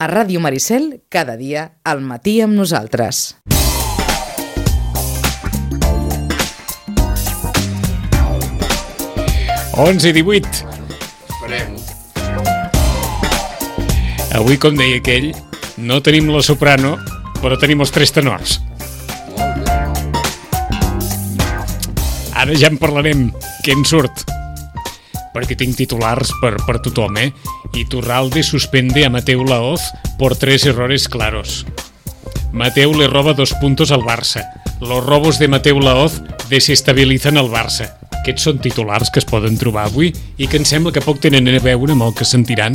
A Ràdio Maricel, cada dia, al matí amb nosaltres. Onze i 18. Esperem. Avui, com deia aquell, no tenim la soprano, però tenim els tres tenors. Molt bé. Ara ja en parlarem, què en surt. Perquè tinc titulars per tothom, Iturralde suspende a Mateu Laoz por 3 errores claros. Mateu le roba 2 puntos al Barça. Los robos de Mateu Laoz desestabilizan el Barça. Aquests són titulars que es poden trobar avui i que em sembla que poc tenen a veure amb el que sentiran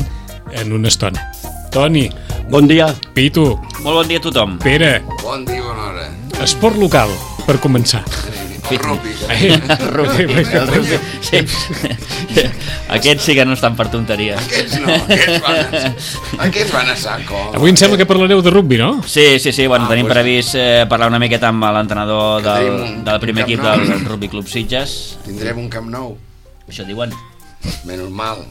en una estona. Toni. Bon dia. Pitu. Molt bon dia a tothom. Pere. Bon dia, bona hora. Esport local, per començar. El rugby. Sí. Aquests sí que no estan per tonteries. Aquests van a saco. Avui em sembla que parlareu de rugby, no? Sí, bueno, tenim previst parlar una miqueta amb l'entrenador del primer equip del Rugby Club Sitges. Tindrem un camp nou. Això diuen. Menys mal.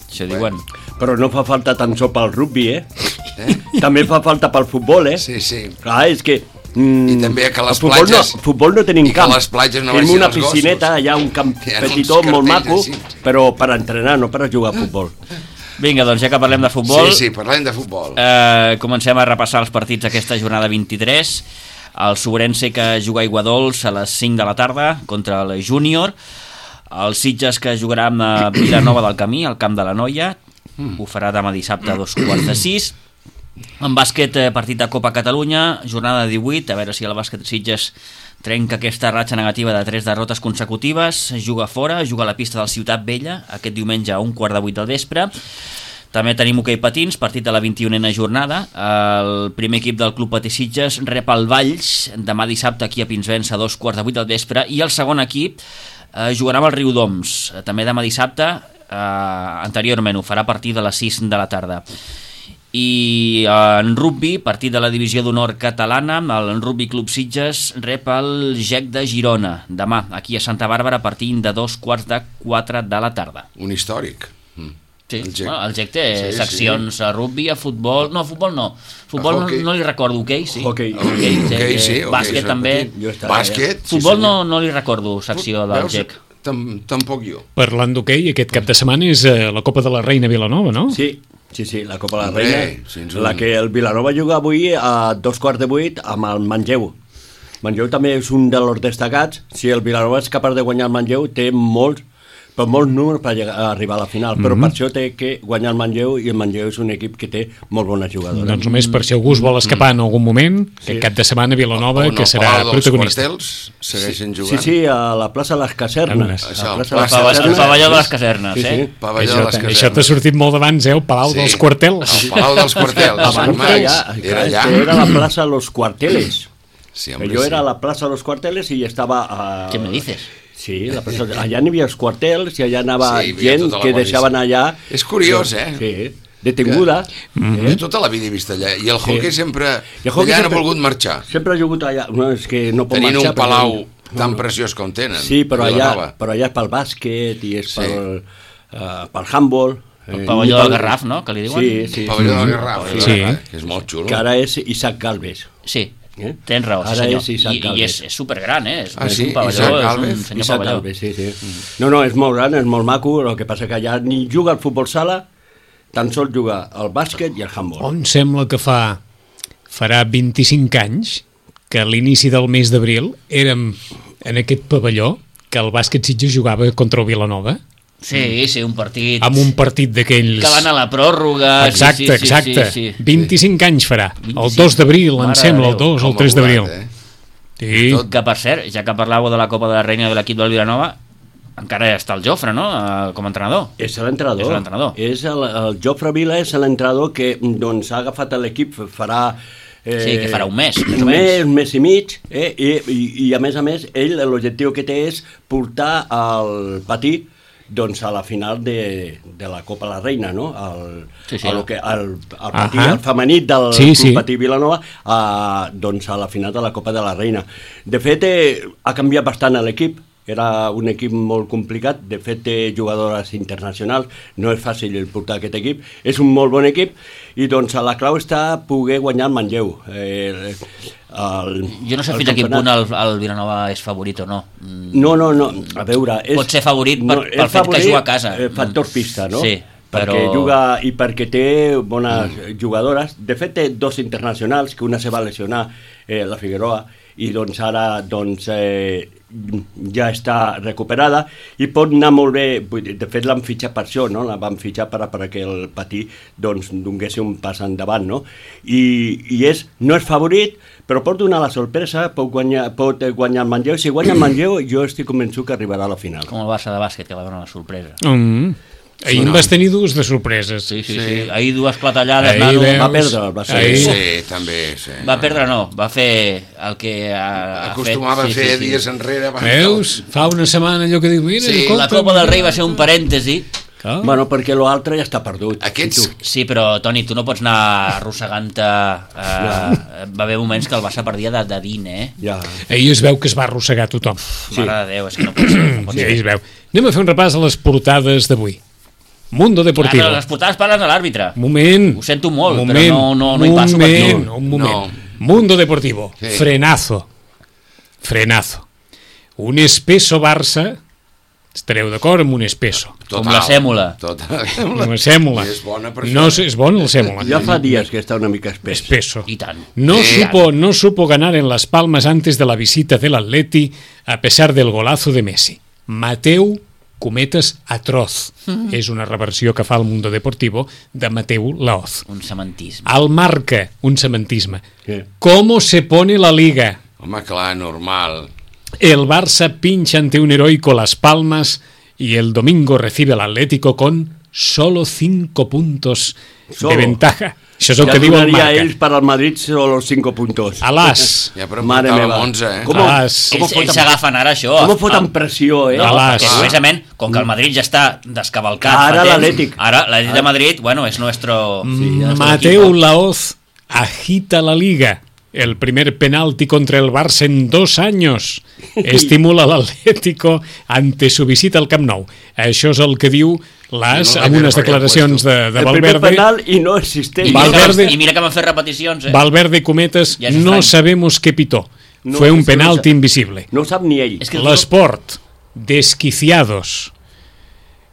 Això diuen. Però no fa falta tan sols pel rugby, També fa falta pel futbol, Sí. Clar, és que... I també que les platges... Futbol no tenim camp. I que les platges no tenim vagin una els gossos. piscineta, allà un camp petitó, molt maco, però per entrenar, no per jugar a futbol. Vinga, doncs ja que parlem de futbol... Sí, parlem de futbol. Comencem a repassar els partits d'aquesta jornada 23. El Sobrense que juga a Aiguadols a les 5 de la tarda contra el Júnior. El Sitges que jugarà a Vilanova del Camí, al Camp de la Noia. Ho farà demà dissabte a 2:45. En bàsquet, partit de Copa Catalunya, jornada 18, a veure si el bàsquet Sitges trenca aquesta ratxa negativa de 3 derrotes consecutives, juga fora, juga a la pista del Ciutat Vella, aquest diumenge a 7:15 del vespre. També tenim hoquei patins, partit de la 21a jornada. El primer equip del Club Patí Sitges rep el Valls demà dissabte aquí a Pinsbens a 2:15 del vespre, i el segon equip jugarà amb el Riudoms, també demà dissabte, anteriorment ho farà a partir de les 6 de la tarda. I en rugby, partit de la divisió d'honor catalana, el Rugby Club Sitges rep el GEC de Girona demà, aquí a Santa Bàrbara, a partir de 3:45 de la tarda. Un històric. Sí, el GEC té seccions a rugby, a futbol... No, a futbol no. Futbol no li recordo, hoquei, sí. Hoquei, sí. Bàsquet també. Bàsquet? Futbol no li recordo, secció del GEC. Tampoc jo. Parlant d'hoquei, aquest cap de setmana és la Copa de la Reina Vilanova, no? Sí, la Copa de la Reina, la que el Vilanova juga avui a 7:15 amb el Manlleu. Manlleu també és un dels destacats. Si el Vilanova és capaç de guanyar el Manlleu, té molts números per arribar a la final, però per això té que guanyar el Manlleu, i el Manlleu és un equip que té molt bones jugadores. Doncs només per si algú es vol escapar en algun moment, aquest cap de setmana Vilanova, que serà protagonista. On els quartels segueixen jugant. Sí, a la plaça de les Casernes. El pavelló de les Casernes, Això t'ha sortit molt d'abans, el Palau dels Quartels. El Palau dels Quartels. Era allà. Era la plaça de los Cuarteles. Jo era a la plaça de los Cuarteles i estava... Què me dices? Sí, allà n'hi havia els quartels i allà anava gent que deixaven allà... És curiós, Sí, detinguda. Jo tota la vida he vist allà, i el hoquei sempre allà no ha volgut marxar. Sempre ha jugut allà, no, és que no pot marxar. Tenint un palau tan preciós com tenen. Sí, però allà és pel bàsquet i és pel handball. El pavelló del Garraf, no?, que li diuen? Sí. El pavelló del Garraf, que és molt xulo. Que ara és Isaac Galvez. Sí. Tens raó, sí senyor. I és supergran, és un pavelló, és un senyor pavelló. Sí. No, és molt gran, és molt maco, el que passa que allà ni juga el futbol sala, tan sols juga el bàsquet i el handball. On sembla que farà 25 anys que a l'inici del mes d'abril érem en aquest pavelló que el bàsquet Sitges jugava contra el Vilanova. Sí, un partit... Amb un partit d'aquells... Que van a la pròrroga... Exacte. 25 anys farà. El 2 d'abril, em sembla, el 2 o el 3 d'abril. Sí. Que, per cert, ja que parlàveu de la Copa de la Reina de l'equip del Vilanova, encara està el Jofre, no?, com a entrenador. És l'entrenador. El Jofre Vila és l'entrenador que ha agafat l'equip, farà... Sí, que farà un mes, un mes i mig, i a més, ell l'objectiu que té és portar el Patí a la final de la Copa de la Reina, no? El femení del Club Patí Vilanova a la final de la Copa de la Reina. De fet, ha canviat bastant l'equip, era un equip molt complicat, de fet té jugadores internacionals, no és fàcil portar aquest equip, és un molt bon equip, i doncs la clau està poder guanyar el Manlleu. Jo no sé fins a quin punt el Vilanova és favorit o no. No, a veure... Pot ser favorit pel fet que juga a casa. Factor pista, no? Sí. Perquè juga i perquè té bones jugadores. De fet, té 2 internacionals, que una se va lesionar, la Figueroa, i doncs ara ja està recuperada i pot anar molt bé. De fet, l'han fitxat per això, no? La van fitxar perquè el Patí doncs, donés un pas endavant, no? I no és favorit, però pot donar la sorpresa, pot guanyar el Manlleu. Si guanya el Manlleu, jo estic convençut que arribarà a la final. Com el Barça de bàsquet, que va donar la sorpresa. Ahir en vas tenir 2 de sorpreses. Sí. Ahir 2 clatellades. Va perdre el Barça. Sí, també. Sí. Va perdre, no. Va fer el que acostumava a fer dies enrere. Veus? Fa una setmana allò que diu... Mira, la Copa del Rei va ser un parèntesi. Bueno, perquè l'altre ja està perdut. Sí, però, Toni, tu no pots anar arrossegant-te... Va haver moments que el Barça perdia de dint, Ja. Ahir es veu que es va arrossegar tothom. Mare de Déu, és que no pot ser. Sí, ahir es veu. Anem a fer un repàs a les portades d'avui. Mundo Deportivo. Clar, les portades parlen de l'àrbitre. Moment. Ho sento molt, però no hi passo per aquí. Un moment. Mundo Deportivo. Sí. Frenazo. Un espeso Barça. Estareu d'acord amb un espeso? Com la sèmola. Una sèmola. És bona per no, és bona la sèmola. Ja fa dies que està una mica espeso. I tant. No supo ganar en Las Palmas antes de la visita del Atleti a pesar del golazo de Messi. Mateu cometes atroz. És una reversió que fa el Mundo Deportivo de Mateu Laoz. Un cementisme. Al Marca, un cementisme. Sí. ¿Cómo se pone la Liga? Home, clar, normal. El Barça pincha ante un heroico Las Palmas y el domingo recibe al Atlético con solo 5 puntos de ventaja. Això és el que diu el Marca. Ja ells per al Madrid solo 5 puntos. Alàs. Ja, però portàvem 11, Ells s'agafen ara això. Com foten pressió, Alàs. Precisament, com que el Madrid ja està descavalcat. Ara l'Atlètic. Ara l'Atlètic de Madrid, bueno, és nuestro... Mateu Laoz agita la Liga. El primer penalti contra el Barça en 2 años. Estimula l'Atlético ante su visita al Camp Nou. Això és el que diu l'As amb unes declaracions de Valverde. El primer penal i no existeix. I mira que van fer repeticions. Valverde cometes, no sabemos qué pitó. Fue un penalti invisible. No ho sap ni ell. L'Esport, desquiciados.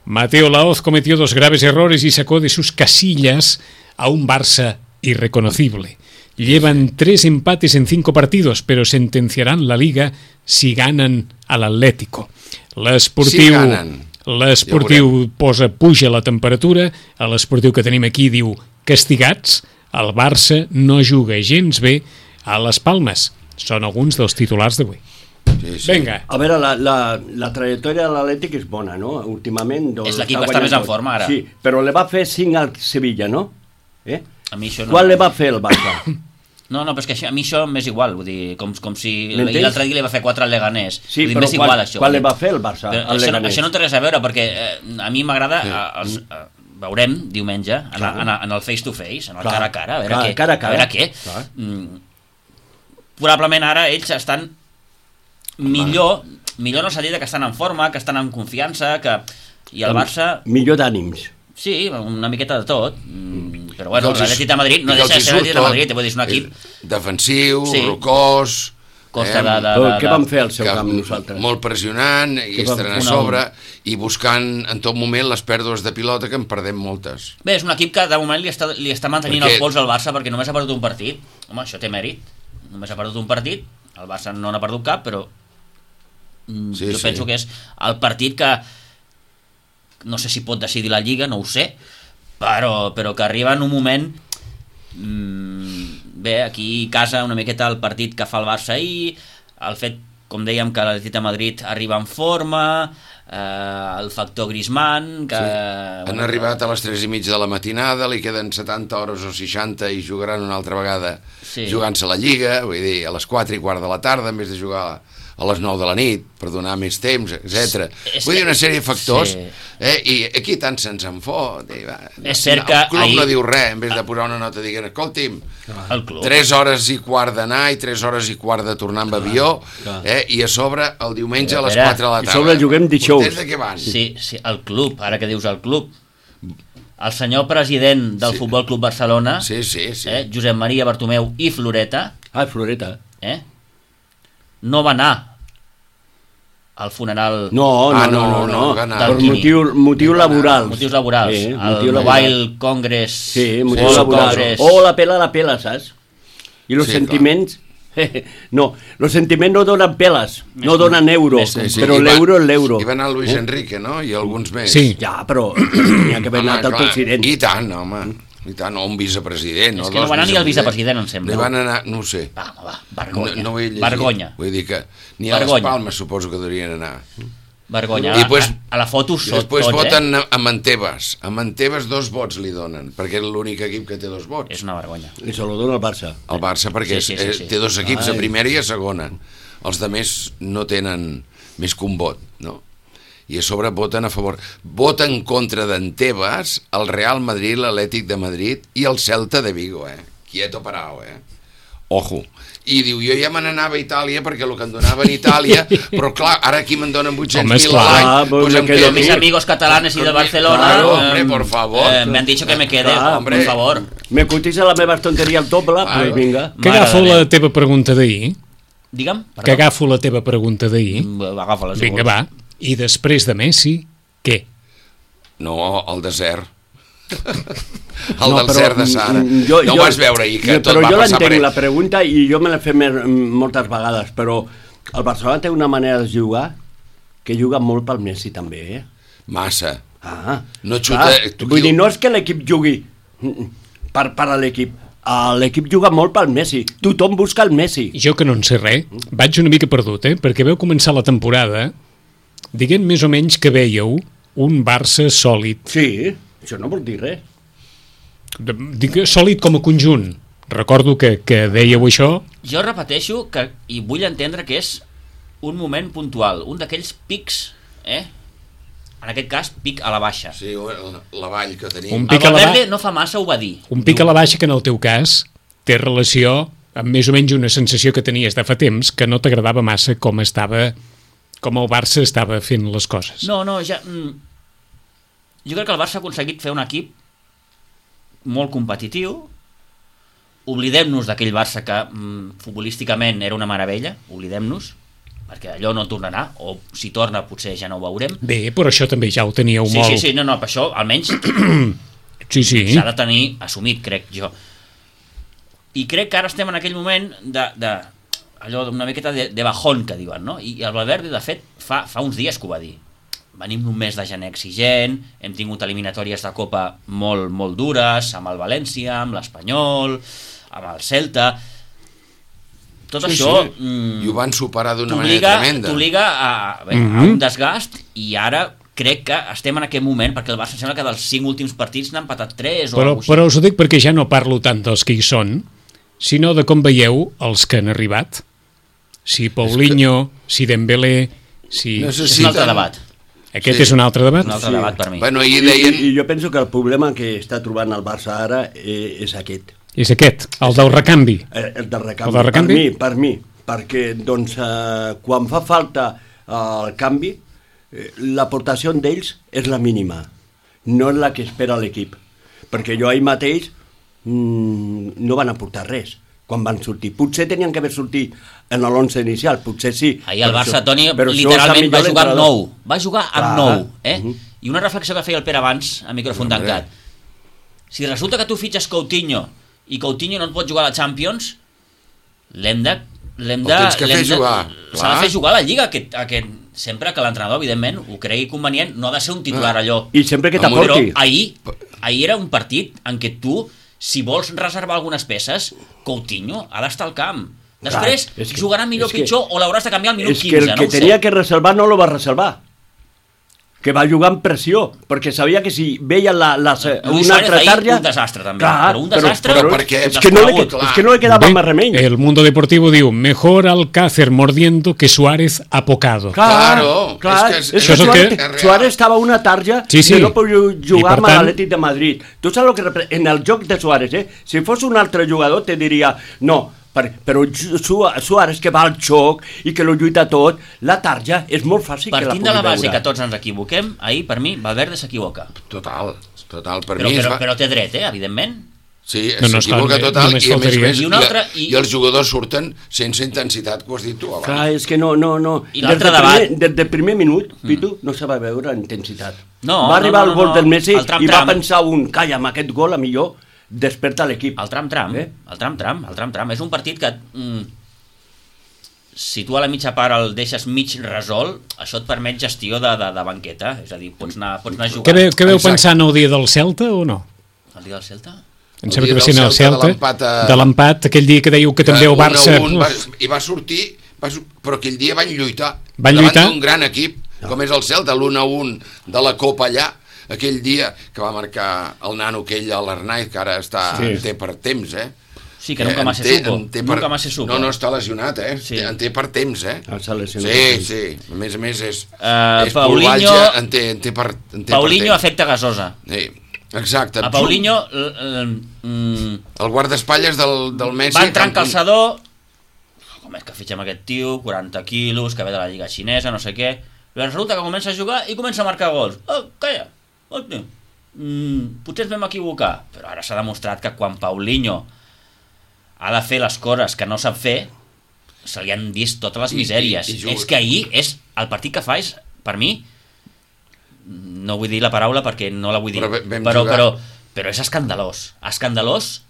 Mateu Laoz cometió 2 graves errores y sacó de sus casillas a un Barça irreconocible. Llevan 3 empates en 5 partidos, pero sentenciarán la Liga si ganan al Atlético. L'esportiu puja la temperatura, a l'esportiu que tenim aquí diu castigats, el Barça no juga gens bé a les Palmes. Són alguns dels titulars d'avui. Sí. Vinga. A veure, la trajectòria de l'Atlètic és bona, no? Últimament... És l'equip que està més en forma ara. Sí, però le va fer 5 al Sevilla, no? A mi això no... Quan le va fer el Barça? No, però és que a mi això m'és igual, vull dir, com si l'altre dia li va fer 4 al Leganés. Sí, però quan le va fer el Barça al Leganés? Això no té res a veure, perquè a mi m'agrada, veurem diumenge, en el face-to-face, en el cara a cara, a veure què. Probablement ara ells estan millor en el sentit que estan en forma, que estan en confiança, i el Barça... Millor d'ànims. Sí, una miqueta de tot, però bueno, l'Atlètic de Madrid no deixa de ser l'Atlètic de Madrid, vull dir, és un equip defensiu, rocós, què van fer al seu camp nosaltres? Molt pressionant, i estan a sobre, i buscant en tot moment les pèrdues de pilota, que en perdem moltes. Bé, és un equip que de moment li està mantenint el pols al Barça, perquè només ha perdut un partit. Home, això té mèrit, només ha perdut un partit, el Barça no n'ha perdut cap, però jo penso que és el partit que no sé si pot decidir la Lliga, no ho sé, però que arriba en un moment bé, aquí a casa una miqueta el partit que fa el Barça ahir, el fet, com dèiem, que l'Atlètic de Madrid arriba en forma, el factor Griezmann que... Han arribat a les 3:30 de la matinada, li queden 70 hores o 60 i jugaran una altra vegada jugant-se la Lliga, vull dir, a les 4:15 de la tarda, en vez de jugar a les 9 de la nit per donar més temps, etc. Vull dir, una sèrie de factors, i aquí tant se'ns en fot. És cert que el club no diu res, en vez de posar una nota dient, escolti'm, 3 hores i quart d'anar i 3 hores i quart de tornar amb avió, i a sobre el diumenge a les 4 de la tarda. I sobre juguem dijous. Des de què van? Sí, el club, ara que dius el club. El senyor president del Futbol Club Barcelona, Josep Maria Bartomeu i Floreta, Floreta, no va anar al funeral... No, per motius laborals. Motius laborals. El Mobile Congress. Sí, motius laborals. O la pela, saps? I els sentiments... No, els sentiments no donen peles, no donen euro, però l'euro és l'euro. I va anar Luis Enrique, no? I alguns més. Sí. Ja, però tenia que haver anat el president. I tant, home. I tant, o un vicepresident. És que no va anar ni el vicepresident, em sembla. Li van anar, no ho sé. Va, vergonya. No ho he llegit. Vergonya. Vull dir que ni a les Palmes suposo que deurien anar. Vergonya. I pues, a la foto i després voten a Mantebas. A Mantebas 2 vots li donen, perquè és l'únic equip que té 2 vots. És una vergonya. I se lo dona el Barça. El Barça, perquè té 2 equips, a primera i a segona. Els de més no tenen més que un vot, no? I a sobre voten a favor. Voten en contra d'Antebas el Real Madrid, l'Atlètic de Madrid i el Celta de Vigo, Quieto parao, Ojo. I diu, jo ja me n'anava a Itàlia perquè el que em donaven a Itàlia, però clar, ara aquí me'n donen 800.000 a l'any, pues em quedo... Mis amigos catalanes y de Barcelona... Claro, hombre, por favor. Me han dicho que me quede, por favor. Me cotiza la meva tonteria al doble, pues vinga. Que agafo la teva pregunta d'ahir. Digue'm, perdó. Que agafo la teva pregunta d'ahir. Agafa-la, si vinga, va. I després de Messi, què? No, el desert. El del cert de Sara. No ho vas veure ahir, que tot va passar per ell. Però jo l'entenc, la pregunta, i jo me l'he fet moltes vegades, però el Barcelona té una manera de jugar que juga molt pel Messi també, Massa. No xuta... Vull dir, no és que l'equip jugui per a l'equip. L'equip juga molt pel Messi. Tothom busca el Messi. Jo que no en sé res, vaig una mica perdut, perquè veu començar la temporada dient més o menys que veieu un Barça sòlid. Sí, això no vol dir res. Dic sòlid com a conjunt. Recordo que dèieu això. Jo repeteixo que, i vull entendre que és un moment puntual, un d'aquells pics, en aquest cas, pic a la baixa. Sí, la vall que tenim. El Valverde no fa massa ho va dir. Un pic a la baixa que en el teu cas té relació amb més o menys una sensació que tenies de fa temps que no t'agradava massa com el Barça estava fent les coses. No, ja... Jo crec que el Barça ha aconseguit fer un equip molt competitiu. Oblidem-nos d'aquell Barça que futbolísticament era una meravella, oblidem-nos, perquè allò no tornarà, o si torna potser ja no ho veurem. Bé, però això també ja ho teníeu molt. Sí, no, per això almenys s'ha de tenir assumit, crec jo. I crec que ara estem en aquell moment allò d'una miqueta de bajón, que diuen, no? I el Valverde, de fet, fa uns dies que ho va dir. Venim d'un mes de gener exigent, hem tingut eliminatòries de Copa molt, molt dures, amb el València, amb l'Espanyol, amb el Celta... Tot això... I ho van superar d'una manera tremenda. T'obliga a un desgast, i ara crec que estem en aquest moment, perquè el Barça sembla que dels 5 últims partits n'ha empatat 3 o alguna cosa així. Però us ho dic perquè ja no parlo tant dels que hi són, sinó de com veieu els que han arribat. Si Paulinho, si Dembélé... És un altre debat. Aquest és un altre debat? Un altre debat per mi. Bueno, i jo penso que el problema que està trobant el Barça ara és aquest. És aquest, el del recanvi. El del recanvi, per mi. Perquè, doncs, quan fa falta el canvi, l'aportació d'ells és la mínima. No és la que espera l'equip. Perquè jo ahir mateix no van aportar res quan van sortir. Potser tenien que haver sortit en l'11 inicial, potser sí. Ahir el Barça, Toni, literalment va jugar amb 9. Va jugar amb 9. I una reflexió que feia el Pere abans, a micròfon tancat. Si resulta que tu fitxes Coutinho i Coutinho no et pot jugar a la Champions, l'hem de... tens que fer jugar. S'ha de fer jugar a la Lliga, sempre que l'entrenador, evidentment, ho cregui convenient, no ha de ser un titular allò. I sempre que t'aporti. Però ahir era un partit en què tu, si vols reservar algunes peces, Coutinho ha d'estar al camp. Després jugarà millor o pitjor, o l'hauràs de canviar al minut 15, no ho sé. És que el que tenia que reservar no lo va reservar. que va jugar amb pressió, perquè sabia que si veia una Luis altra Suárez tarja... un desastre, també. Però un desastre... Però perquè és que no li quedava més remei. El Mundo Deportivo diu, mejor Alcácer mordiendo que Suárez apocado. Claro, és que Suárez estava una tarja sí. que no podia jugar amb tant... l'Atlètic de Madrid. Tu saps el que representa? En el joc de Suárez, si fos un altre jugador te diria, no, però Suárez que va al xoc i que lo lluita tot, la tarja és molt fàcil que la pugui veure. Partint de la base que tots ens equivoquem, ahir per mi Valverde s'equivoca. Total, per mi... Però té dret, evidentment. Sí, s'equivoca total i a més i els jugadors surten sense intensitat, que ho has dit tu abans. Clar, és que no. I l'altre debat... Des del primer minut, Pitu, no se va veure intensitat. No, va arribar el gol del Messi i va pensar calla, amb aquest gol a millor desperta l'equip. El tram-tram. És un partit que si tu a la mitja part el deixes mig resolt, això et permet gestió de banqueta, és a dir, pots anar a jugar. Què veu pensant el dia del Celta o no? El dia del Celta? Em sembla que va ser el Celta, de l'empat, aquell dia que dèieu que també el Barça... I va sortir, però aquell dia van lluitar. Davant d'un gran equip, com és el Celta, l'1-1 de la Copa allà, aquell dia que va marcar el nano aquell a l'Arnaiz, que ara té per temps, Sí, que nunca más se supo. No, està lesionat, Sí. En té per temps, S'ha lesionat. Sí. A més és Paulinho, en té per Paulinho afecta gasosa. Sí, exacte. A Paulinho... el guardaespatlles del Messi... Va entrar en calçador... Com és que fitxem aquest tio? 40 quilos, que ve de la lliga xinesa, no sé què... Però resulta que comença a jugar i comença a marcar gols. Calla! Potser ens vam equivocar, però ara s'ha demostrat que quan Paulinho ha de fer les coses que no sap fer, se li han vist totes les misèries. És que ahir el partit que fa és, per mi, no vull dir la paraula perquè no la vull dir, però és escandalós.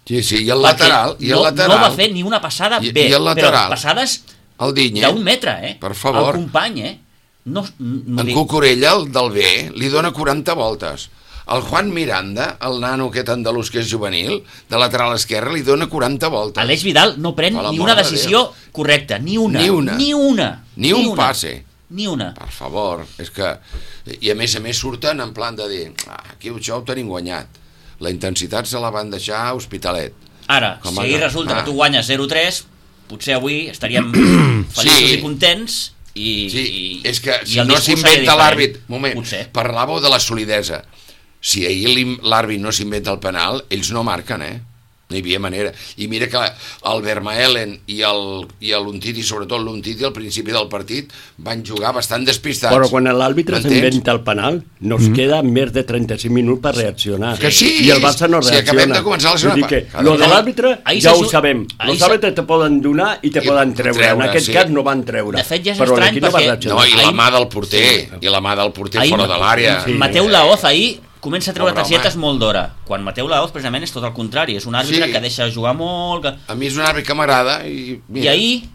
Sí, i el lateral. No va fer ni una passada bé, però passades d'un metre, per favor. El company, en Cucurella, el del B, li dona 40 voltes. El Juan Miranda, el nano aquest andalús que és juvenil, de lateral esquerra, li dona 40 voltes. Aleix Vidal no pren ni una decisió correcta, ni una. Ni un passe. Ni una. Per favor, és que... I a més surten en plan de dir aquí això ho tenim guanyat. La intensitat se la van deixar a Hospitalet. Ara, si resulta que tu guanyes 0-3, potser avui estaríem feliços i contents. Sí, és que si no s'inventa l'àrbit... Moment, parlàveu de la solidesa. Si ahir l'àrbit no s'inventa el penal, ells no marquen, No hi havia manera. I mira que el Vermaelen i l'Untiti, sobretot l'Untiti, al principi del partit, van jugar bastant despistats. Però quan l'àrbitre s'inventa el penal, nos queda més de 35 minuts per reaccionar. Que sí, i el Barça no reacciona. Si acabem de començar la segona part. Lo de l'àrbitre ja ho sabem. Els àrbitres te poden donar i te poden treure. En aquest cas no van treure. De fet, ja és estrany perquè... No, i la mà del porter, fora de l'àrea. Mateu Laoz ahir comença a treure targetes molt d'hora, quan Mateu Laoz precisament és tot el contrari, és un àrbitre que deixa jugar molt... A mi és un àrbitre que m'agrada i ahir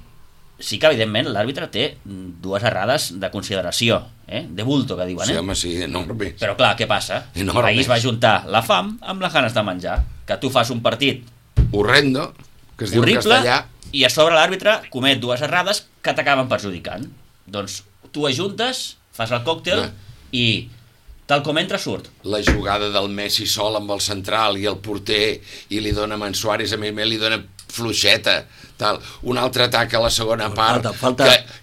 sí que evidentment l'àrbitre té dues errades de consideració, de bulto que diuen, Sí, home, sí, enormes. Però clar, què passa? Ahir es va juntar la fam amb les ganes de menjar, que tu fas un partit horrendo, que es diu en castellà, i a sobre l'àrbitre comet dues errades que t'acaben perjudicant. Doncs tu ajuntes, fas el còctel i... tal com entra surt. La jugada del Messi sol amb el central i el porter i li dona a Suárez, a més li dona fluixeta, tal. Un altre atac a la segona part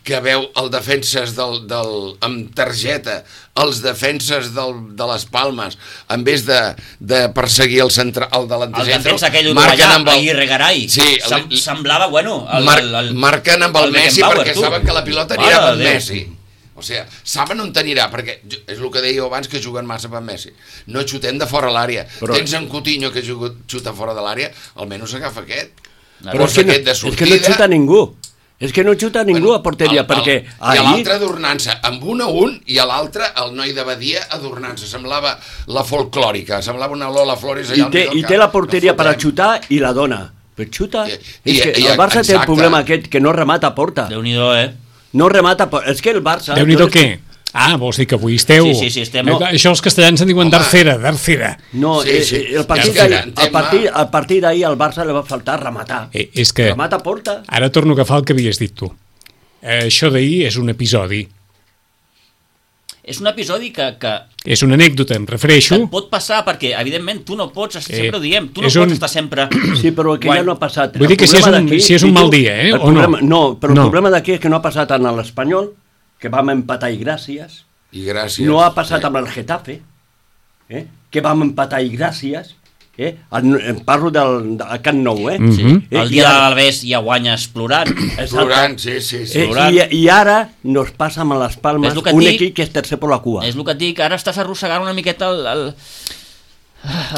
que veu els defenses amb targeta, els defenses de les Palmes, en vez de perseguir el delanter el defensa aquell uruguaià, Aguirre Garay, semblava, marquen amb el Messi perquè saben que la pilota anirà amb Messi. O sigui, saben on t'anirà, perquè és el que dèieu abans, que juguen massa per Messi. No xutem de fora l'àrea. Tens en Coutinho que xuta fora de l'àrea, almenys agafa aquest. Però és que no xuta ningú. És que no xuta ningú a porteria, perquè... I a l'altre adornant-se, amb un a un, i a l'altre el noi de Badia adornant-se. Semblava la folclòrica, semblava una Lola Flores allà. I té la porteria per a xutar i la dona. Però xuta... El Barça té el problema aquest, que no remata a porta. Déu-n'hi-do, No remata, és que el Barça... Déu-n'hi-do què? Vols dir que avui esteu... Sí, estem... Això els castellans en diuen d'arcera. No, el partit d'ahir al Barça li va faltar rematar. És que... Remata a porta. Ara torno a agafar el que havies dit tu. Això d'ahir és un episodi. és un episodi que és una anècdota, em refereixo. et pot passar, perquè evidentment tu no pots, sempre ho diem, tu no és pots estar sempre... Sí, però que ja no ha passat. Vull dir que si és un mal dia, o no? No, però el problema d'aquí és que no ha passat en l'Espanyol, que vam empatar i gràcies. I gràcies. No ha passat amb el Getafe, que vam empatar i gràcies. Parlo del Camp Nou, Sí. El dia de l'Albés ja guanyes plorant. Plorant, sí. I ara nos passa amb les Palmes un equip que és tercer per la cua. És el que et dic, ara estàs arrossegant una miqueta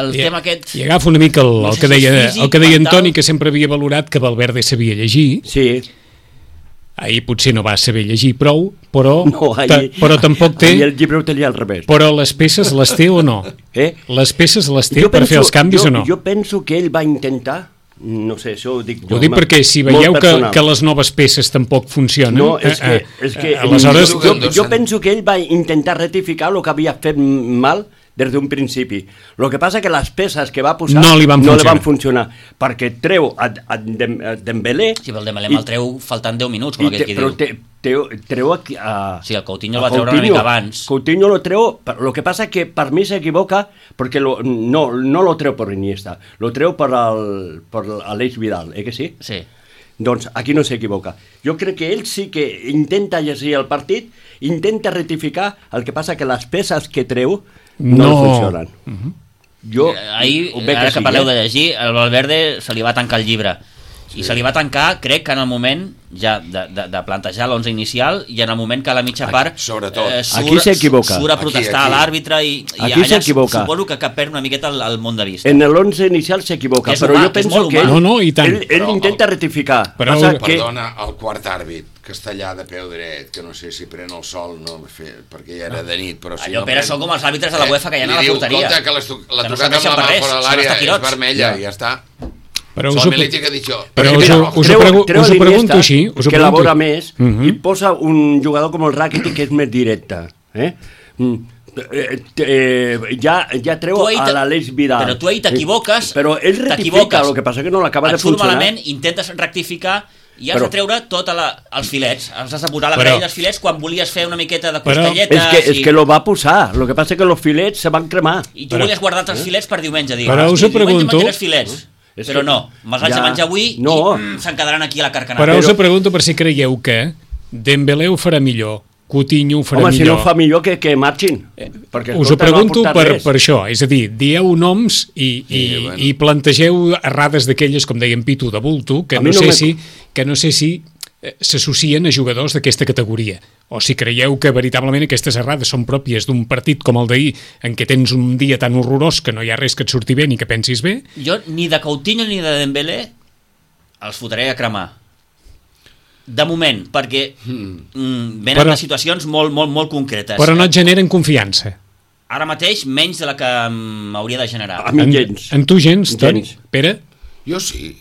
el tema aquest... I agafa una mica el que deia Antoni, que sempre havia valorat que Valverde sabia llegir. Sí. Ahir potser no va saber llegir prou, però tampoc té... I el llibre ho tenia al revés. Però les peces les té o no? Les peces les té per fer els canvis o no? Jo penso que ell va intentar, no sé, això ho dic jo... Ho dic perquè si veieu que les noves peces tampoc funcionen... No, és que aleshores... Jo penso que ell va intentar rectificar el que havia fet mal des d'un principi. El que passa que les peces que va posar no li van funcionar, perquè treu a Dembélé... Sí, però el Dembélé me'l treu faltant 10 minuts, com aquell que diu. Però treu a... Sí, el Coutinho el va treure una mica abans. Coutinho lo treu... Lo que passa que per mi s'equivoca perquè no lo treu per Iniesta, lo treu per Aleix Vidal, que sí? Sí. Doncs aquí no s'equivoca. Jo crec que ell sí que intenta llegir el partit, intenta rectificar, el que passa que les peces que treu no funcionen. Jo ahir, ara que parleu de llegir, el Valverde se li va tancar el llibre. I se li va tancar, crec que en el moment ja de plantejar l'11 inicial i en el moment que a la mitja part surt a protestar a l'àrbitre i aquí allà suposo que perd una miqueta el món de vista. En l'11 inicial s'equivoca, però jo penso que ell intenta rectificar. Perdona, el quart àrbit que està allà de peu dret, que no sé si pren el sol, perquè ja era de nit, però si allò, Pere, són com els àrbitres de la UEFA que hi ha a la porteria. Li diu, compte, que la tocada amb la mà fora de l'àrea és vermella i ja està. Però us ho pregunto així, que elabora més i posa un jugador com el Rakitic que és més directe. Ja treu a l'Aleix Vidal. Però tu ahir t'equivoques. Però ell rectifica, el que passa que no l'acaba de funcionar. Et surt malament, intentes rectificar i has de treure tots els filets. Els has de posar a la grella dels filets quan volies fer una miqueta de costelletes. És que lo va posar. El que passa que els filets se van cremar. I tu volies guardar els filets per diumenge. Però us ho pregunto... Però no, me'ls haig de menjar avui i se'n quedaran aquí a la carcanada. Però us ho pregunto per si creieu que Dembélé ho farà millor, Coutinho ho farà millor. Home, si no fa millor que marxin. Us ho pregunto per això, és a dir, dieu noms i plantegeu errades d'aquelles, com deien Pitu, de bulto, que no sé si s'associen a jugadors d'aquesta categoria, o si creieu que veritablement aquestes errades són pròpies d'un partit com el d'ahir, en què tens un dia tan horrorós que no hi ha res que et surti bé ni que pensis bé. Jo ni de Coutinho ni de Dembélé els fotré a cremar de moment, perquè venen de situacions molt concretes. Però no et generen confiança. Ara mateix menys de la que m'hauria de generar. A mi gens. En tu gens, Toni? Pere? Jo sí.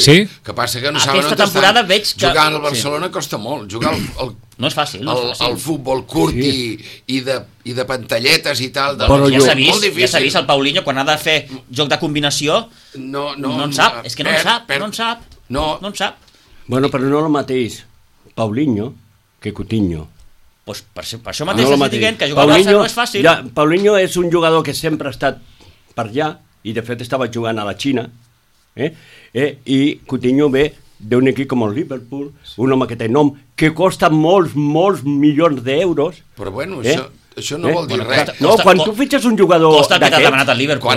Sí? Que passa que no saben aquesta temporada veig que... Jugar al Barcelona costa molt. Jugar no és fàcil. El futbol curt i de pantalletes i tal. Però ja s'ha vist el Paulinho quan ha de fer joc de combinació. No en sap. És que no en sap. No en sap. Bueno, però no el mateix Paulinho que Coutinho. Pues per això mateix estic dient que jugar al Barça no és fàcil. Paulinho és un jugador que sempre ha estat per allà i de fet estava jugant a la Xina. I Coutinho ve d'un equip com el Liverpool, un home que té nom, que costa molts milions d'euros. Però bueno, això no vol dir res. No, quan tu fitxes un jugador costa que t'ha demanat el Liverpool.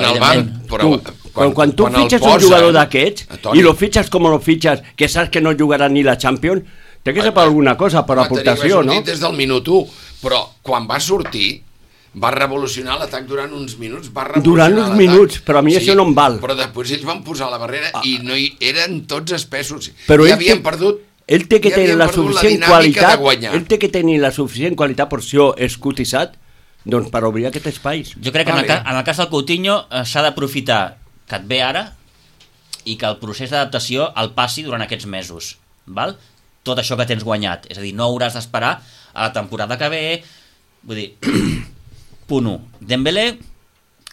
Quan tu fitxes un jugador d'aquests i lo fitxes com lo fitxes, que saps que no jugarà ni la Champions, té que ser per alguna cosa, per aportació, no? Des del minut 1, però quan va sortir va revolucionar l'atac durant uns minuts. Però a mi això no em val. Però després ells van posar la barrera i no eren tots espessos. Però ja havien perdut. Ell té que tenir la suficient qualitat. Ell té que tenir la suficient qualitat, per això és cotitzat, doncs per obrir aquest espai. Jo crec que en el cas del Coutinho s'ha d'aprofitar que et ve ara i que el procés d'adaptació el passi durant aquests mesos. Val? Tot això que tens guanyat. És a dir, no hauràs d'esperar a la temporada que ve. Vull dir... Punt 1. Dembélé,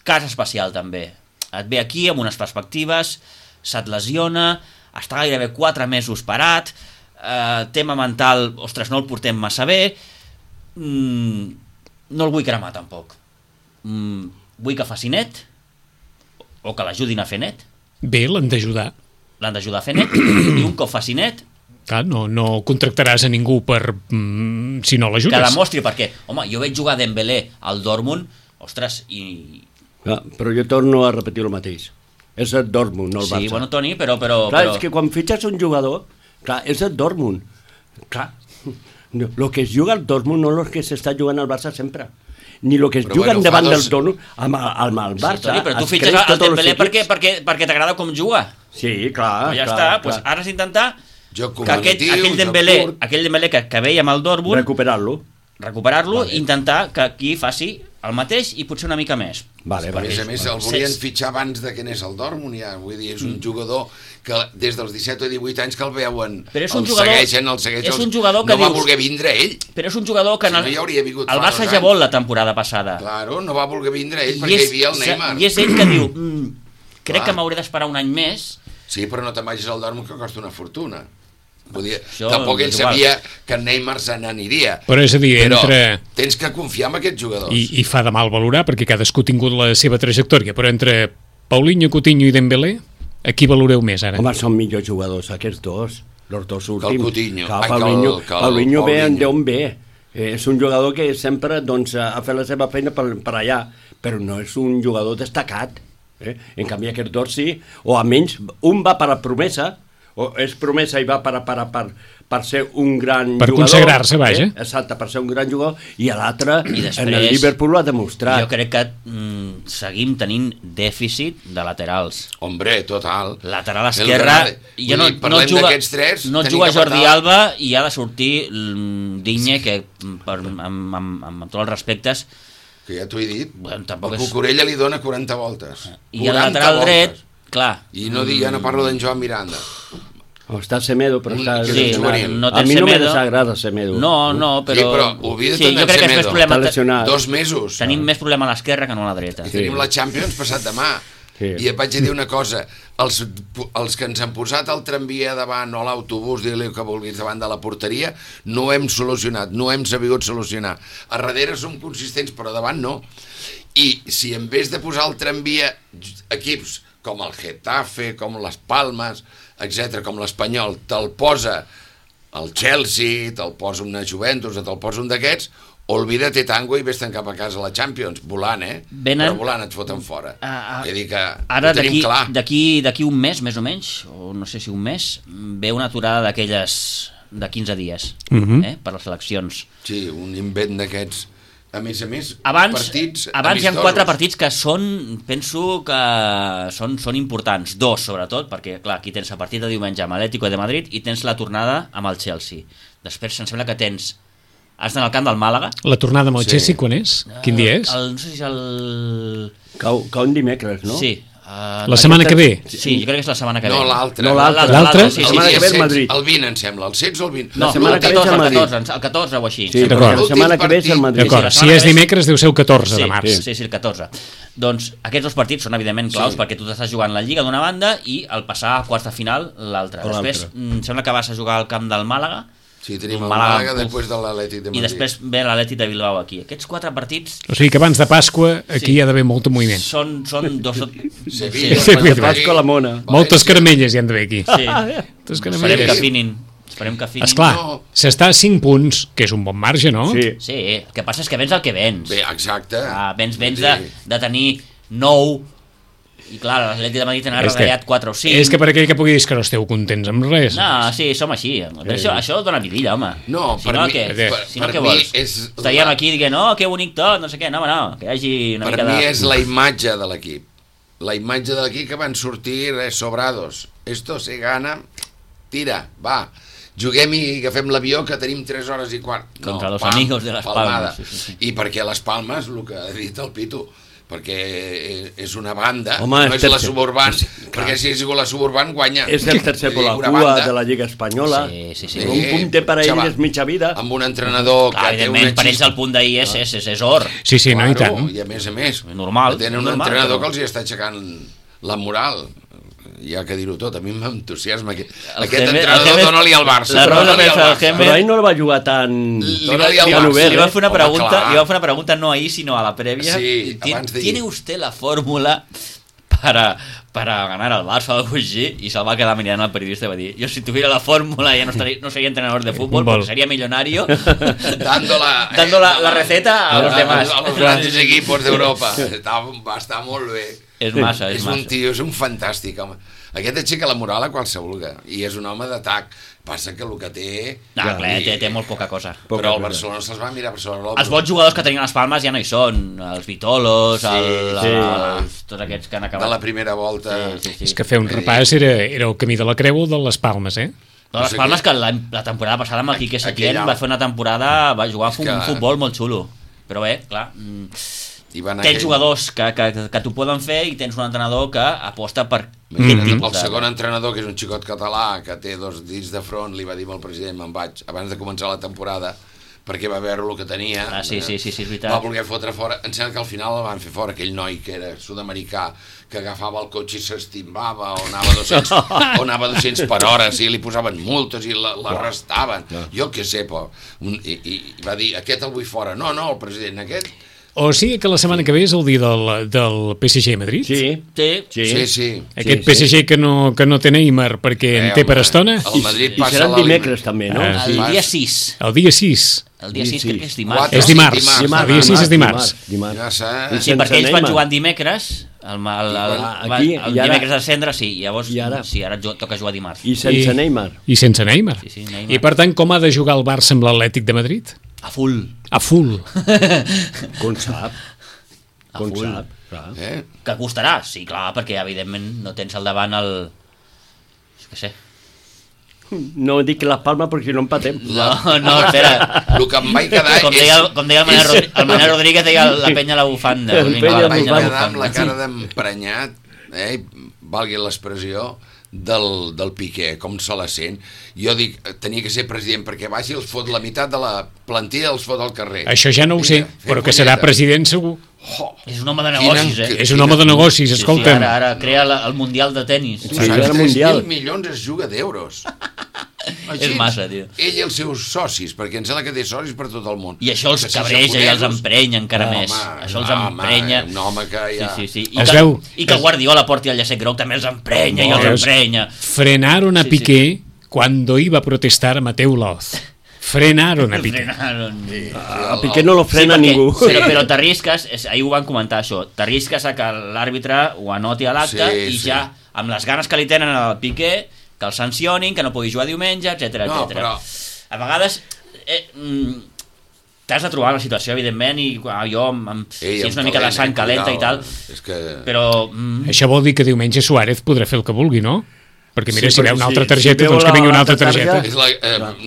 cas especial també. Et ve aquí amb unes perspectives, se't lesiona, està gairebé 4 mesos parat, tema mental, ostres, no el portem massa bé, no el vull cremar tampoc. Vull que faci net, o que l'ajudin a fer net. Bé, l'han d'ajudar. L'han d'ajudar a fer net, i un cop faci net... Clar, no contractaràs a ningú si no l'ajudes. Que demostri, perquè, home, jo veig jugar Dembélé al Dortmund, ostres, i... Clar, però jo torno a repetir el mateix. És el Dortmund, no el Barça. Sí, bueno, Toni, però... Clar, és que quan fitxes un jugador, clar, és el Dortmund. Clar, el que es juga al Dortmund no és el que s'està jugant al Barça sempre. Ni el que es juguen davant del Dortmund amb el Barça. Sí, Toni, però tu fitxes el Dembélé perquè t'agrada com juga. Sí, clar. Però ja està, doncs ara has d'intentar que aquell Dembélé que veia amb el Dortmund... Recuperar-lo, intentar que aquí faci el mateix i potser una mica més. Vale, a més, el volien fitxar abans de que anés al Dortmund, ja. Vull dir, és un jugador que des dels 17 o 18 anys que el veuen, el segueixen, no va voler vindre ell. Però és un jugador que el Barça ja vol la temporada passada. Claro, no va voler vindre ell perquè hi havia el Neymar. I és ell que diu, crec que m'hauré d'esperar un any més. Sí, però no te'n vagis al Dortmund que costa una fortuna. Tampoc ell sabia que el Neymar se n'aniria. Però és a dir, tens que confiar en aquests jugadors. I fa de mal valorar, perquè cadascú ha tingut la seva trajectòria, però entre Paulinho, Coutinho i Dembélé, a qui valoreu més ara? Home, són millors jugadors aquests dos, els dos últims. Que el Coutinho. Paulinho ve d'on ve. És un jugador que sempre ha fet la seva feina per allà, però no és un jugador destacat. En canvi aquest dos sí, o almenys un va per la promesa, o és promesa i va per ser un gran jugador. Per consagrar-se, vaja. Exacte, per ser un gran jugador, i l'altre en el Liverpool ho ha demostrat. Jo crec que seguim tenint dèficit de laterals. Hombre, total. Lateral esquerra, no juga Jordi Alba i ha de sortir Digne, que amb tots els respectes, que ja t'ho he dit, el Cucurella li dona 40 voltes. I el lateral dret, clar. I ja no parlo d'en Joan Miranda. O està Semedo, però està... Sí, no a mi no me desagrada Semedo. No, però... Sí, però oblida't de Semedo. Està lesionat. 2 mesos. Tenim més problema a l'esquerra que no a la dreta. I tenim la Champions passat demà. I et vaig dir una cosa, els que ens han posat el tramvia davant o l'autobús, digue-li que vulguis, davant de la porteria, no ho hem solucionat, no ho hem sabut solucionar. A darrere som consistents, però davant no. I si en vez de posar el tramvia equips com el Getafe, com les Palmes, etc, com l'Espanyol, te'l posa el Chelsea, te'l posa una Juventus, te'l posa un d'aquests, olvida't tango i vés-te'n cap a casa a la Champions, volant, però volant et foten fora. Vull dir que ara, ho tenim clar. D'aquí un mes, més o menys, o no sé si un mes, ve una aturada d'aquelles de 15 dies, per les eleccions. Sí, un invent d'aquests. A més, partits abans hi ha 4 partits que penso que són importants. 2, sobretot, perquè, clar, aquí tens el partit de diumenge amb l'Atlético de Madrid i tens la tornada amb el Chelsea. Després, em sembla que has d'anar al camp del Màlaga. La tornada amb el Chelsea, quan és? Quin dia és? No sé si és el... Cau un dimecres, no? Sí. La setmana que ve? Sí, jo crec que és la setmana que ve. No, l'altra. L'altra? Sí, la setmana que ve és Madrid. El 20, em sembla. El 16 o el 20? No, el 14 o així. Sí, la setmana que ve és el Madrid. D'acord, si és dimecres deu ser el 14 de març. Sí, el 14. Doncs aquests 2 partits són evidentment claus perquè tu t'estàs jugant la Lliga d'una banda i el passar a quarts de final l'altra. Després, em sembla que vas a jugar al camp del Màlaga. Sí, tenim el Màlaga després de l'Atlètic de Madrid. I després ve l'Atlètic de Bilbao aquí. Aquests 4 partits... O sigui que abans de Pasqua aquí hi ha d'haver molt moviment. Són dos... De Pasqua a la Mona. Moltes caramelles hi han d'haver aquí. Sí. Esperem que afinin. Esclar, s'està a 5 punts, que és un bon marge, no? Sí, el que passa és que vens el que vens. Bé, exacte. Vens de tenir 9... I clar, l'Atlètic de Madrid n'ha retallat 4 o 5. És que per aquell que pugui dir que no esteu contents amb res. No, sí, som així. Això dona vidilla, home. No, per mi què vols? Estaríem aquí dient, que bonic tot, no sé què. No, que hi hagi una mica de... Per mi és la imatge de l'equip. La imatge de l'equip que van sortir sobrados. Esto se gana, tira, va. Juguem i agafem l'avió que tenim 3 hores i quart. Contra los amigos de les Palmes. I perquè les Palmes, el que ha dit el Pitu, perquè és una banda, home, no és la Suburban, perquè si és la Suburban guanya. És el tercer per la cua de la Lliga Espanyola. Sí. Un punt té per a ells és mitja vida. Amb un entrenador que té una per ells el punt d'ahir és or. Sí, no, i tant. I a més, normal, tenen un entrenador que els hi està aixecant la moral. hi ha que dir-ho tot, a mi m'entusiasma aquest entrenador, dona-li al Barça, però ahir no el va jugar tan obert. Li va fer una pregunta no ahir, sinó a la prèvia. Sí, ¿Tiene usted la fórmula para ganar al Barça o algo así? Y se va a quedar mirando al periodista y va a decir, yo si tuviera la fórmula ya no sería entrenador de fútbol porque sería millonario dando la receta a los demás, a los grandes equipos d'Europa. Va estar molt bé. És massa. Un tio, és un fantàstic home. Aquest aixeca la moral a qualsevol, i és un home d'atac. Passa que el que té... té molt poca cosa. Però el Barcelona se'ls va mirar per sobre l'ombro. Els bons jugadors que tenien les Palmes ja no hi són. Els Vitolos, tots aquests que han acabat. De la primera volta. Sí. És que fer un repàs era el camí de la Creu o de les Palmes, eh? De les Palmes, que la temporada passada amb el Quique Setién va fer una temporada, va jugar un futbol molt xulo. Però bé, clar... Tens jugadors que t'ho poden fer i tens un entrenador que aposta per el segon entrenador, que és un xicot català que té 2 dits de front, li va dir al president, me'n vaig abans de començar la temporada perquè va veure el que tenia. Sí, és veritat. Va voler fotre fora. Em sembla que al final el van fer fora, aquell noi que era sud-americà, que agafava el cotxe i s'estimbava o anava 200 per hora, i li posaven multes i l'arrestaven. Jo què sé, i va dir, aquest el vull fora. No, el president, aquest... O sigui que la setmana que ve és el dia del PSG a Madrid? Sí. Aquest PSG que no té Neymar perquè en té per estona? El Madrid passa serà dimecres també, no? El dia 6. El dia 6. El dia 6 crec que és dimarts. És dimarts. El dia 6 és dimarts. Sí, perquè ells van jugant dimecres, el dimecres de cendre, sí, llavors ara toca jugar dimarts. I sense Neymar. Sí, Neymar. I per tant, com ha de jugar el Barça amb l'Atlètic de Madrid? A full. Com sap? Que costarà, sí, clar, perquè evidentment no tens al davant el... Què sé. No dic les Palmes perquè no empatem. No, espera. El que em vaig quedar com deia el Manel Rodríguez, deia la penya a la bufanda. Em vaig quedar amb la cara d'emprenyat, valgui l'expressió, del Piqué, com se la sent. Jo dic, tenia que ser president perquè vagi els fot la meitat de la plantilla els fot al carrer. Això ja no ho sé, però que serà president segur. És un home de negocis, És un home de negocis, escolta'm. Ara crea el Mundial de tenis. 3.000 milions es juga d'euros. És massa, tio. Ell i els seus socis, perquè em sembla que té socis per tot el món. I això els cabreja i els emprenya encara més. Això els emprenya. Un home que ja... I que Guardiola porti el llacet groc també els emprenya i els emprenya. Frenaron a Piqué cuando iba a protestar Mateu Laoz. Frenaron a Piqué. A Piqué no lo frena ningú. Però t'arrisques, ahir ho van comentar això, t'arrisques a que l'àrbitre ho anoti a l'acte i ja, amb les ganes que li tenen al Piqué, que el sancionin, que no pugui jugar diumenge, etc. Però... A vegades t'has de trobar la situació, evidentment, i jo, si és una mica de sang calenta i tal, però... Això vol dir que diumenge Suárez podrà fer el que vulgui, no? Perquè mira, si veu una altra targeta, doncs que vingui una altra targeta.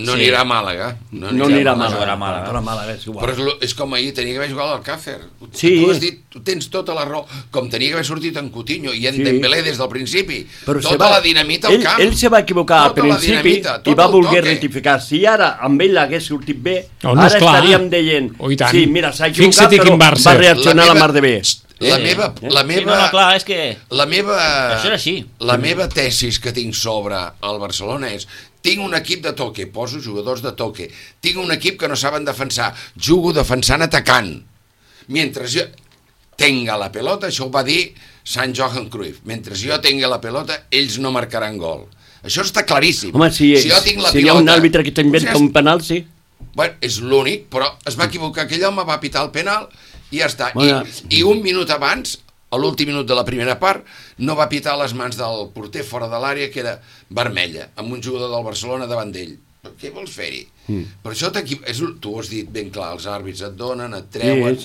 No anirà a Màlaga. No anirà a Màlaga. Però és com ahir, tenia que haver jugat al Càcer. Tu has dit, tu tens tota la raó, com tenia que haver sortit en Coutinho i en Dembélé des del principi. Tota la dinamita al camp. Ell se va equivocar al principi i va voler rectificar. Si ara amb ell l'hagués sortit bé, ara estaríem dient, sí, mira, s'ha equivocat, però va reaccionar la mar de bé. La meva tesis que tinc sobre el Barcelona és: tinc un equip de toque, poso jugadors de toque, tinc un equip que no saben defensar, jugo defensant atacant, mentre jo tenga la pelota, això ho va dir Sant Johan Cruyff, mentre jo tenga la pelota ells no marcaran gol. Això està claríssim. Home, si hi ha un àrbitre que t'inventa un penal, sí. Bueno, és l'únic, però es va equivocar, aquell home va pitar el penal i ja està. I un minut abans, a l'últim minut de la primera part, no va pitar les mans del porter fora de l'àrea, que era vermella, amb un jugador del Barcelona davant d'ell. Què vols fer-hi? Per això tu ho has dit ben clar, els àrbits et donen, et treuen,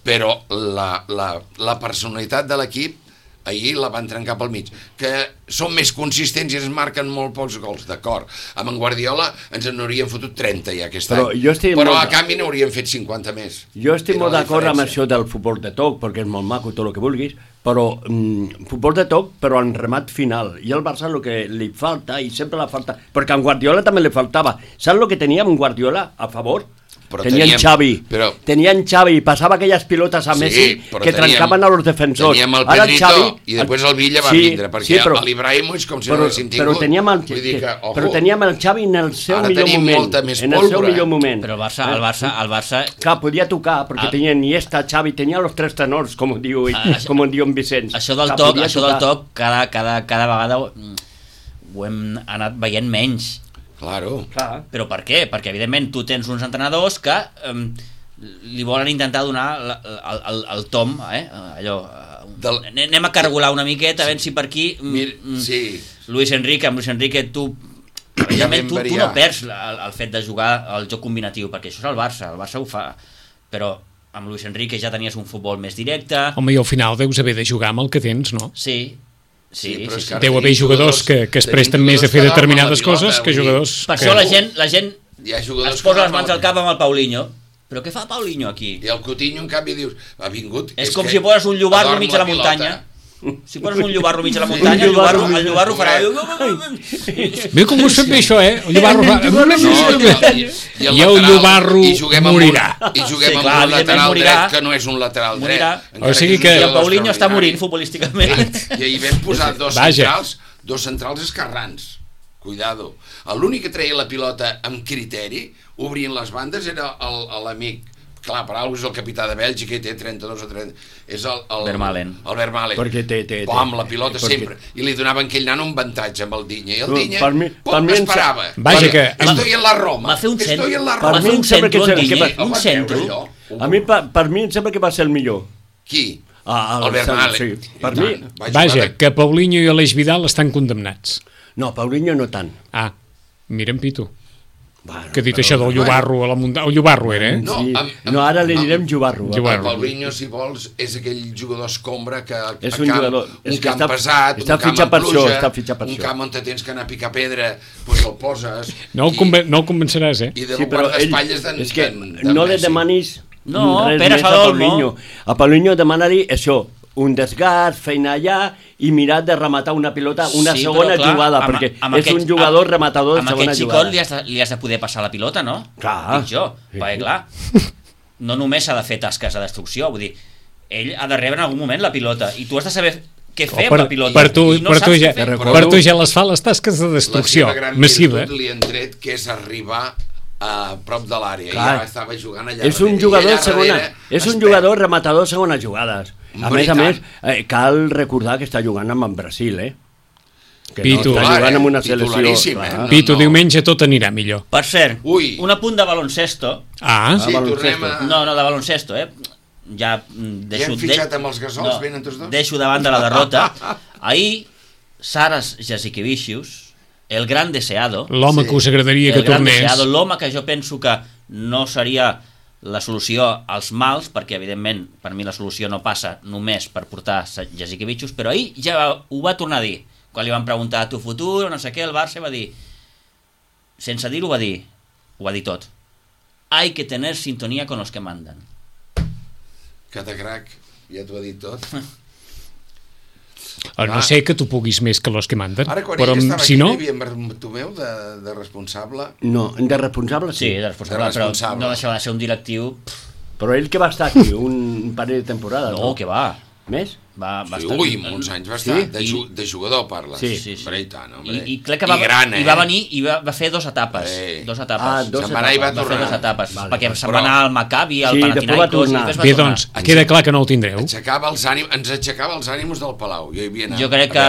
però la personalitat de l'equip ahir la van trencar pel mig, que són més consistents i es marquen molt pocs gols, d'acord. Amb en Guardiola ens n'haurien fotut 30 ja aquest any, però a canvi n'haurien fet 50 més. Jo estic molt d'acord amb això del futbol de toc, perquè és molt maco tot el que vulguis, però futbol de toc, però en remat final. I al Barça el que li falta, i sempre la falta, perquè a en Guardiola també li faltava. Saps el que tenia amb Guardiola a favor? tenien Xavi, passava aquelles pilotes a Messi que trencaven a los defensors. Teníem el Pedrito i després el Villa va vindre, perquè l'Ibrahimovic com si no l'haguéssim tingut. Però teníem el Xavi en el seu millor moment. Però el Barça... Clar, podia tocar, perquè tenia Iniesta, Xavi, tenia los tres tenors, com diu en Vicenç. Això del toc, cada vegada ho hem anat veient menys. Claro. Però per què? Perquè evidentment tu tens uns entrenadors que li volen intentar donar el tom, allò, anem a cargolar una miqueta, a veure si per aquí Luis Enrique tu no perds el fet de jugar el joc combinatiu, perquè això és el Barça ho fa, però amb Luis Enrique ja tenies un futbol més directe. Home, i al final deus haver de jugar amb el que tens, no? Sí. Deu haver jugadors que es presten més a fer determinades coses que jugadors... Per això la gent es posa les mans al cap amb el Paulinho. Però què fa Paulinho aquí? I el Coutinho, en canvi, dius, ha vingut... És com si poses un llobarro mig a la muntanya. Si poses un llobarro mig a la muntanya, el llobarro farà... Veu com us fem bé això, El llobarro fa... I el llobarro morirà. I juguem amb un lateral dret que no és un lateral dret. O sigui que... I el Paulinho està morint futbolísticament. I ahir vam posar dos centrals esquerrans. Cuidado. L'únic que treia la pilota amb criteri, obrint les bandes, era l'amic. Clar, per alguna és el capità de Bèlgica i té 32 o 30... És el Vermaelen. El Vermaelen. Perquè té... Amb la pilota sempre. I li donaven aquell nano un avantatge amb el Dinya. I el Dinya esperava. Vaja que... Estoy en la Roma. Va fer un centre. Per mi em sembla que va ser el millor. Qui? El Vermaelen. Sí, per mi... Vaja, que Paulinho i Aleix Vidal estan condemnats. No, Paulinho no tant. Mira'm, Pitu. Que dit això del llobarro a la muntanya... El llobarro era, No, ara li direm llobarro. El Paulinho, si vols, és aquell jugador escombra que és un jugador, un camp pesat, un camp amb pluja, un camp on tens que anar a picar pedra, doncs el poses... No el convenceràs, I de guardaespatlles d'en... És que no li demanis res Pere més a Paulinho. A Paulinho demana-li això, un desgast, feina allà i mirar de rematar una pilota, una segona jugada, perquè és un jugador rematador de segona jugada. Amb aquest xicot li has de poder passar la pilota, no? Clar. Dic jo, perquè clar, no només s'ha de fer tasques de destrucció, vull dir, ell ha de rebre en algun moment la pilota i tu has de saber què fer amb la pilota. Per tu ja les fa les tasques de destrucció massiva. La seva gran virtut li han tret, que és arribar a prop de l'àrea. Ja estava jugant allà. És un jugador segona, és un jugador rematador segona jugades. A més, cal recordar que està jugant amb el Brasil, que Pitu, no està jugant amb una selecció. Pitu, diumenge tot anirà millor. Per cert, un apunt de baloncesto. Sí, tornem a... No, de baloncesto, ja hem fitxat amb els Gasols, venen tots dos? Deixo davant de la derrota. Ahir, Saras Jasikevicius, el gran deseado... L'home que us agradaria que tornés. L'home que jo penso que no seria la solució als mals, perquè evidentment per mi la solució no passa només per portar Jasikevicius, però ahir ja ho va tornar a dir. Quan li van preguntar a tu futur, no sé què, el Barça va dir, sense dir-ho ho va dir tot. Hay que tener sintonía con los que mandan. Catacrac, ja t'ho ha dit tot. No sé que tu puguis més que los que manden. Ara, quan però ell estava si aquí, no... hi havia Bartomeu de responsable? No, de responsable sí. Sí, de responsable, però no deixava de ser un directiu... Però ell que va estar aquí un parell de temporades. No, que va. Més? Va estar... Ui, molts anys va estar. De jugador parles. Sí. I crec que va venir i va fer dues etapes. Se'n va anar i va tornar. Fer dues etapes. Perquè se'n va anar al Maccabi, al Panathinaikos... Bé, doncs, queda clar que no el tindreu. Ens aixecava els ànims del Palau. Jo crec que...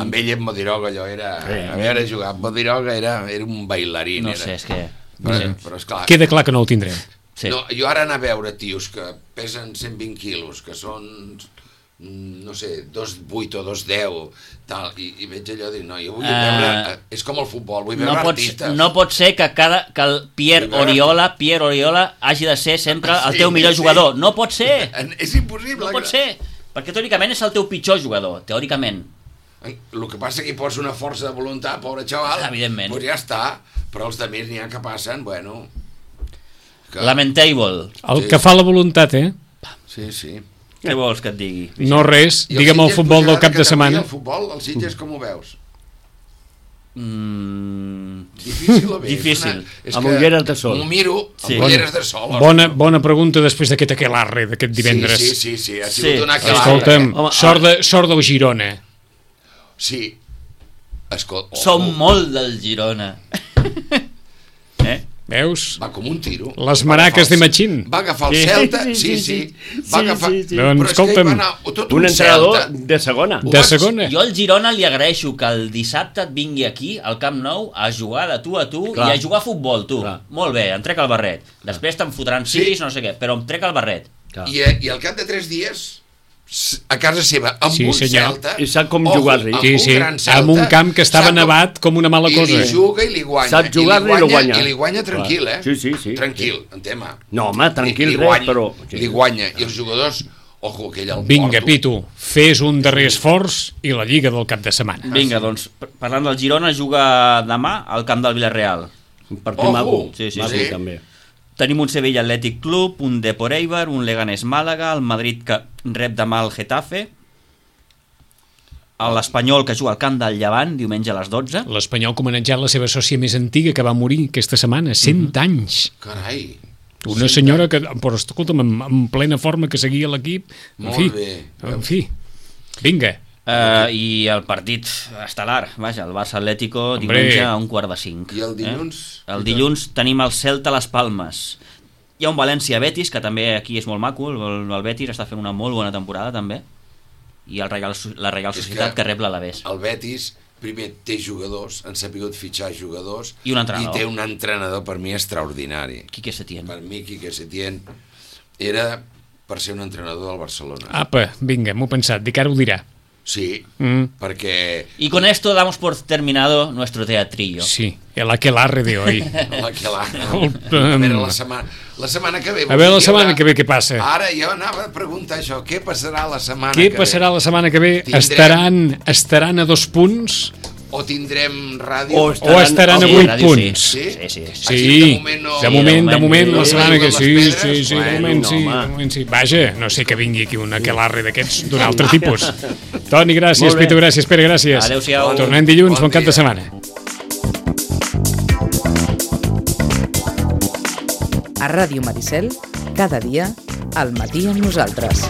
Amb ell en Modiroga allò era... A veure, jugar amb Modiroga era un bailarín. No sé, és que... Però esclar... Queda clar que no el tindreu. No, jo ara anar a veure tios que pesen 120 quilos, que són, no sé, 2,8 o 2,10, tal, i veig allò i dic, no, jo vull veure... És com el futbol, vull veure artistes. No pot ser que el Pierre Oriola hagi de ser sempre el teu millor jugador. No pot ser! És impossible. No pot ser, perquè teòricament és el teu pitjor jugador, teòricament. El que passa que hi pots una força de voluntat, pobre xaval, evidentment. Doncs ja està, però els altres n'hi ha que passen, bueno... Lamentable. El que fa la voluntat, Sí. Què vols que et digui? No res, digue'm el futbol del cap de setmana. El futbol, els Sitges com ho veus? Difícil o bé? Difícil. Amb ulleres de sol. M'ho miro Sí. amb ulleres de sol. Bona pregunta després d'aquest aquelarre d'aquest divendres. Sí, ha sigut una aquelarre. Escolta'm, sort del Girona. Sí. Escolta, Som molt del Girona. Veus? va com un tiro. Les maraques de Machín. Va agafar el Celta, sí. Va agafar... Doncs, Però és que escolta'm, hi va anar tot Un un entrenador Celta. de segona. De segona. Jo al Girona li agraeixo que el dissabte et vingui aquí, al Camp Nou, a jugar de tu a tu Clar. i a jugar a futbol, tu. Clar. Molt bé, em trec el barret. Després te'n fotran sis, no sé què, però em trec el barret. I al cap de 3 dies, a casa seva, amb Sí, un senyor. Celta... I sap com jugar-li. Sí, gran Celta, amb un camp que estava sap com- nevat com una mala cosa. I li juga i li guanya. Sap jugar-li i li guanya. I li guanya tranquil, Clar. Sí. Tranquil, en tema. No, home, tranquil Li res, guanya, però... Li guanya. I els jugadors... Ojo, aquell el Vinga, porto. Pitu, fes un darrer esforç i la Lliga del cap de setmana. Vinga, doncs, parlant del Girona, juga demà al camp del Villarreal. Un partit Ojo. maco. Sí, Maco, sí. també. Tenim un Sevilla Athletic Club, un Depor Eibar, un Leganés Màlaga, el Madrid que rep demà el Getafe, l'Espanyol que juga al camp del Llevant diumenge a les 12. L'Espanyol que ha homenatjat la seva sòcia més antiga que va morir aquesta setmana, 100 anys. Carai. Una senyora que, però escolta'm, en plena forma que seguia l'equip. Molt bé. En fi, vinga. I el partit estel·lar, vaja, el Barça Atlético Hombre. diumenge a 4:45. I el dilluns? El dilluns tenim el Celta a les Palmes. Hi ha un València-Betis, que també aquí és molt maco, el Betis està fent una molt bona temporada també, i la Reial Societat que rep l'Alavés. El Betis primer té jugadors, han sapigut fitxar jugadors I un entrenador. i té un entrenador per mi extraordinari. Quique Setién. Per mi Quique Setién era per ser un entrenador del Barcelona. Apa, vinga, m'ho he pensat, dic ara ho dirà. Sí, perquè Y con esto damos por terminado nuestro teatrillo. Sí, el aquelarre de hoy. a veure, la setmana que ve... A veure la setmana que ve què passa. Ara jo anava a preguntar això, què passarà la setmana Què que passarà ve? la setmana que ve? Estaran a 2 punts O tindrem ràdio? O o estaran a Sí, 8 ràdio, punts? Sí? Sí. Sí, de moment, la setmana que sí, les sí, pedres, de moment sí, home. de moment sí. Vaja, no sé que vingui aquí un aquelarre d'aquests d'un altre tipus. Toni, gràcies, Molt bé. Pitu, gràcies, Pere, gràcies. Adéu-siau. Tornem dilluns, Bon bon cap de dia. setmana. A Ràdio Maricel, cada dia, al matí amb nosaltres.